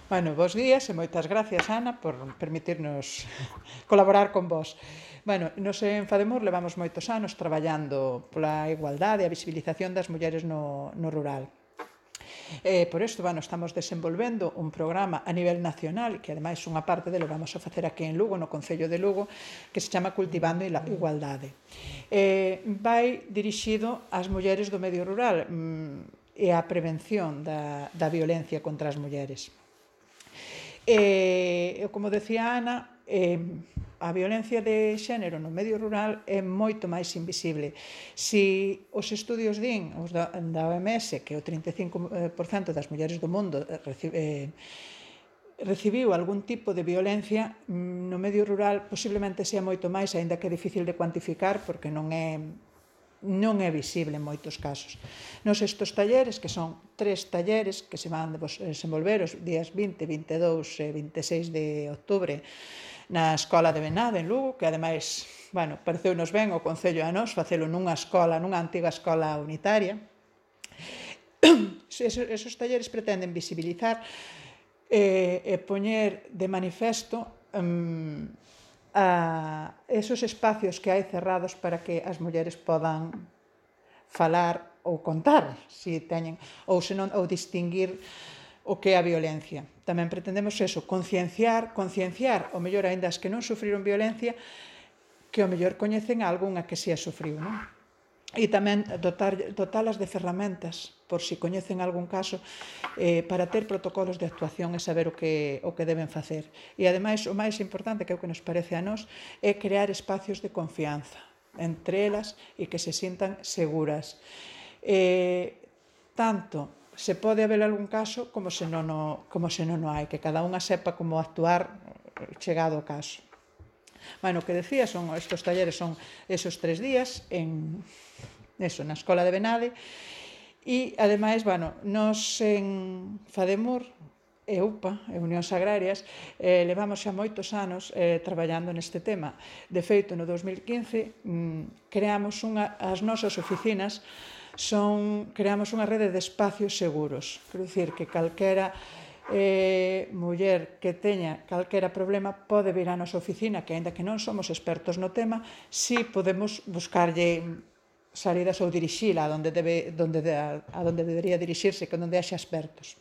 Bueno, bos días e moitas gracias, Ana, por permitirnos colaborar con vos. Bueno, nos en Fademur levamos moitos anos traballando pola igualdade e a visibilización das mulleres no rural. Por isto, bueno, estamos desenvolvendo un programa a nivel nacional, que ademais unha parte delo vamos a facer aquí en Lugo, no Concello de Lugo, que se chama Cultivando a Igualdade. Vai dirixido ás mulleres do medio rural e á prevención da violencia contra as mulleres. Como decía Ana, a violencia de xénero no medio rural é moito máis invisible. Si os estudios din, os da OMS, que o 35% das mulleres do mundo recibiu algún tipo de violencia, no medio rural posiblemente sea moito máis, aínda que é difícil de cuantificar porque non é visible en moitos casos. Nos estes talleres, que son 3 talleres que se van desenvolver os días 20, 22 e 26 de outubro na Escola de Benade, en Lugo, que ademais, bueno, pareceunos ben o Concello a nós facelo nunha escola, nunha antiga escola unitaria. Esos talleres pretenden visibilizar e poñer de manifesto a esos espacios que hai cerrados para que as mulleres podan falar ou contar se teñen ou distinguir o que é a violencia. Tamén pretendemos eso, concienciar, o mellor aínda as que non sufriron violencia, que o mellor coñecen a algunha que si a sufriu, non? E tamén dotalas de ferramentas, por si coñecen algún caso, para ter protocolos de actuación e saber o que deben facer. E, ademais, o máis importante, que é o que nos parece a nós, é crear espacios de confianza entre elas e que se sintan seguras. Tanto se pode haber algún caso como se non o hai, que cada unha sepa como actuar chegado o caso. Bueno, o que decía, estes talleres son esos 3 días na Escola de Benade e, ademais, bueno, nos en Fademur e UPA, e Unións Agrarias, levamos xa moitos anos traballando neste tema. De feito, no 2015 creamos as nosas oficinas, creamos unha rede de espacios seguros. Quero dicir que calquera muller que teña calquera problema pode vir á nosa oficina, que aínda que non somos expertos no tema, si podemos buscarlle salidas ou dirixila a donde debería dirixirse, que onde haxa expertos.